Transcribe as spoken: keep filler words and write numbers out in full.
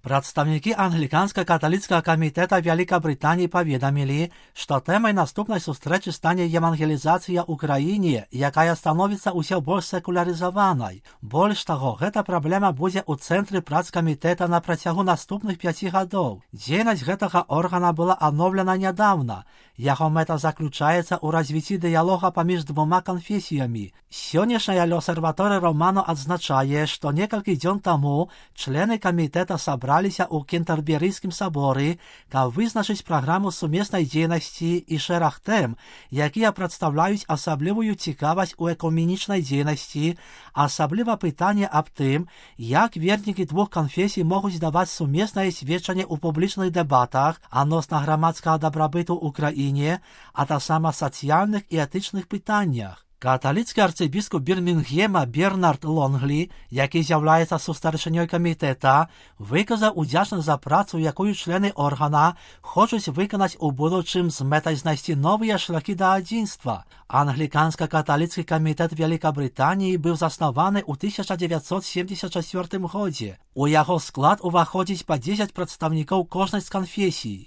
Прадстаўнікі англіканска-каталіцкага камітэта Вялікабрытаніі паведамілі, што тэмай наступнай сустрэчы стане евангелізацыя ў краіне, якая становіцца ўсё больш секулярызаванай. Больш таго, гэта праблема будзе ў цэнтры прац камітэта на працягу наступных пяці гадоў. Дзейнасць гэтага органа была адноўлена нядаўна. Яго мэта заключаецца ў развіцці дыялога паміж двума канфесіямі. Сённяшняя L'Osservatore Romano адзначае, што некалькі дзён таму члены камітэта сабраліся ў Кентэрберыйскім саборы, каб вызначыць праграму сумеснай дзейнасці і шэраг тэм, якія прадстаўляюць асаблівую цікавасць у экуменічнай дзейнасці, асабліва пытанне аб тым, як вернікі двух канфесій могуць даваць сумеснае сведчанне ў публічных дэбатах адносна грамадскага дабрабыту ў краіне, а таксама сацыяльных і этычных пытаннях. Каталіцкі арцыбіскуп Бірмінгема Бернард Лонглі, які з'яўляецца сустарчынёй камітэта, выказаў удзячнасць за працу, якую члены органа хочуць выканаць у будучым з мэтай знайсці новыя шляхі да адзінства. Англіканска-каталіцкі камітэт Вялікабрытаніі быў заснаваны ў тысяча дзевяцьсот семдзесят чацвёртым годзе. У яго склад уваходзіць па дзесяць прадстаўнікоў кожнай з канфесій.